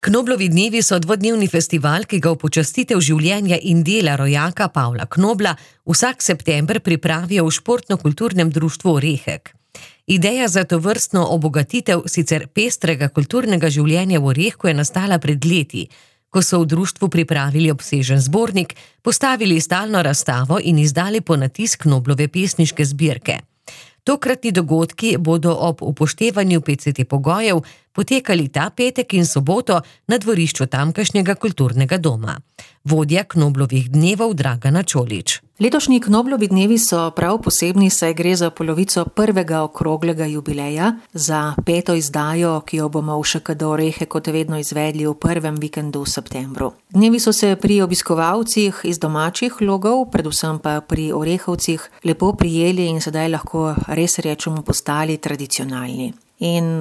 Knoblovi dnevi so dvodnevni festival, ki ga v počastitev življenja in dela rojaka Pavla Knobla vsak september pripravijo v Športno-kulturnem društvu Orehek. Ideja za tovrstno obogatitev sicer pestrega kulturnega življenja v Orehku je nastala pred leti, ko so v društvu pripravili obsežen zbornik, postavili stalno razstavo in izdali ponatisk Knoblove pesniške zbirke. Tokratni dogodki bodo ob upoštevanju PCT pogojev potekali ta petek in soboto na dvorišču tamkajšnjega kulturnega doma. Vodja Knoblovih dnevov Dragana Čolić. Letošnji Knoblovi dnevi so prav posebni, saj gre za polovico prvega okroglega jubileja, za 5. izdajo, ki jo bomo v ŠKD Orehek kot vedno izvedli v prvem vikendu v septembru. Dnevi so se pri obiskovalcih iz domačih logov, predvsem pa pri Orehovcih, lepo prijeli in sedaj lahko res rečemo postali tradicionalni. In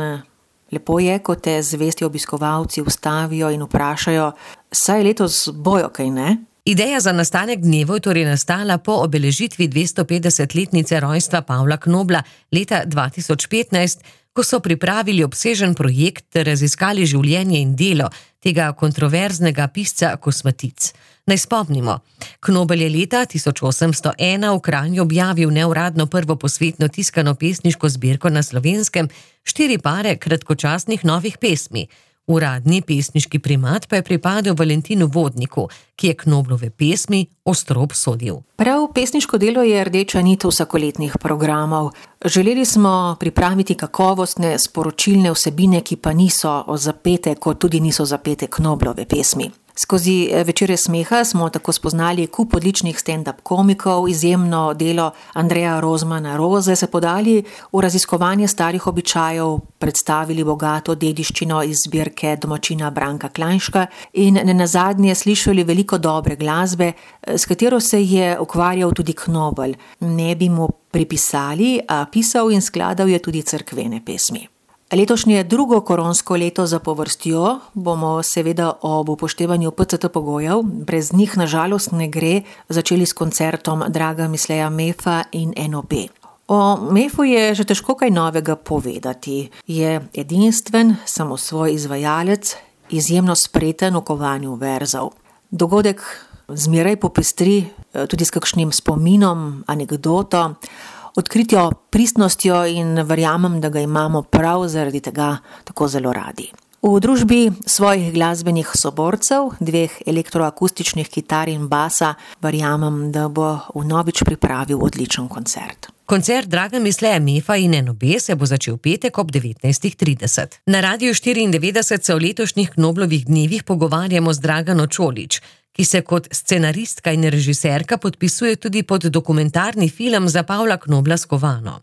lepo je, ko te zvesti obiskovalci ustavijo in vprašajo, saj letos bojo kaj, ne? Ideja za nastanek dnevov je torej nastala po obeležitvi 250-letnice rojstva Pavla Knobla leta 2015, ko so pripravili obsežen projekt ter raziskali življenje in delo tega kontroverznega pisca kosmatic. Naj spomnimo, Knobel je leta 1801 v Kranju objavil neuradno prvo posvetno tiskano pesniško zbirko na Slovenskem, 4 pare kratkočasnih novih pesmi. Uradni pesniški primat pa je pripadel Valentinu Vodniku, ki je Knoblove pesmi ostro obsodil. Prav pesniško delo je rdeča nit vsakoletnih programov. Želeli smo pripraviti kakovostne, sporočilne vsebine, ki pa niso zapete, kot tudi niso zapete Knoblove pesmi. Skozi večere smeha smo tako spoznali kup odličnih stand-up komikov, izjemno delo Andreja Rozmana Roze, se podali v raziskovanje starih običajev, predstavili bogato dediščino iz zbirke domačina Branka Klajnška in nenazadnje slišali veliko dobre glasbe, s katero se je ukvarjal tudi Knobel. Ne bi mu pripisali, a pisal in skladal je tudi cerkvene pesmi. Letošnje drugo koronsko leto zapovrstjo bomo seveda ob upoštevanju PCT pogojev, brez njih na žalost ne gre, začeli s koncertom Draga Misleja Mefa in NOB. O Mefu je že težko kaj novega povedati. Je edinstven, samosvoj izvajalec, izjemno spreten v kovanju verzov. Dogodek zmeraj popestri tudi s kakšnim spominom, anekdoto, odkritjo pristnostjo in verjamem, da ga imamo prav zaradi tega tako zelo radi. V družbi svojih glasbenih soborcev, 2 elektroakustičnih kitar in basa, verjamem, da bo vnovič pripravil odličen koncert. Koncert Draga Misleja Mefa in NOB se bo začel petek ob 19:30. Na Radiu 94 se o letošnjih Knoblovih dnevih pogovarjamo z Dragano Čolić, ki se kot scenaristka in režiserka podpisuje tudi pod dokumentarni film za Pavla Knobla Skovano.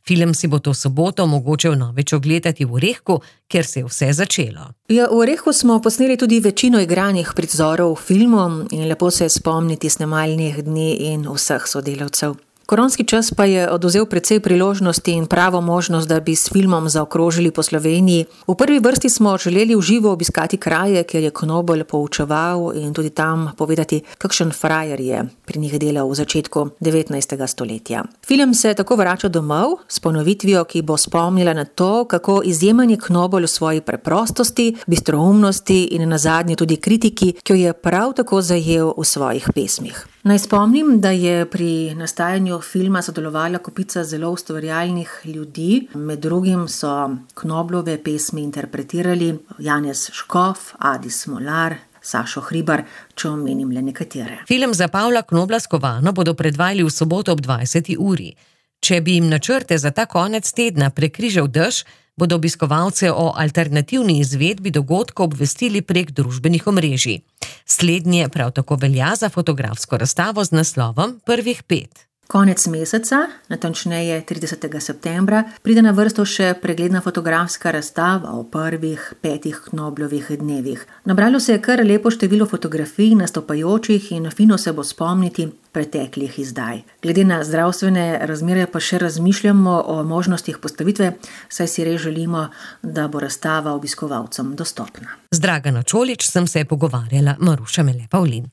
Film si bo to soboto mogoče vnovič ogledati v Orehku, kjer se je vse začelo. Ja, v Orehku smo posneli tudi večino igranih prizorov v filmu in lepo se je spomniti snemalnih dni in vseh sodelavcev. Koronski čas pa je odvzel precej priložnosti in pravo možnost, da bi s filmom zaokrožili po Sloveniji. V prvi vrsti smo želeli v živo obiskati kraje, kjer je Knobel poučeval in tudi tam povedati, kakšen frajer je pri njih delal v začetku 19. stoletja. Film se tako vrača domov s ponovitvijo, ki bo spomnila na to, kako izjemen je Knobel v svoji preprostosti, bistroumnosti in nazadnje tudi kritiki, ki jo je prav tako zajel v svojih pesmih. Naj spomnim, da je pri nastajanju filma sodelovala kopica zelo ustvarjalnih ljudi. Med drugim so Knoblove pesmi interpretirali Janez Škof, Adi Smolar, Sašo Hribar, če omenim le nekatere. Film za Pavla Knobla Skovano bodo predvajali v soboto ob 20. uri. Če bi jim načrte za ta konec tedna prekrižal dež, bodo obiskovalce o alternativni izvedbi dogodka obvestili prek družbenih omrežij. Slednje prav tako velja za fotografsko razstavo z naslovom Prvih 5. Konec meseca, natančneje 30. septembra, pride na vrsto še pregledna fotografska razstava o prvih 5 Knoblovih dnevih. Nabralo se je kar lepo število fotografij nastopajočih in fino se bo spomniti preteklih izdaj. Glede na zdravstvene razmere pa še razmišljamo o možnostih postavitve, saj si res želimo, da bo razstava obiskovalcem dostopna. Z Dragano Čolić sem se pogovarjala Maruša Mele Pavlin.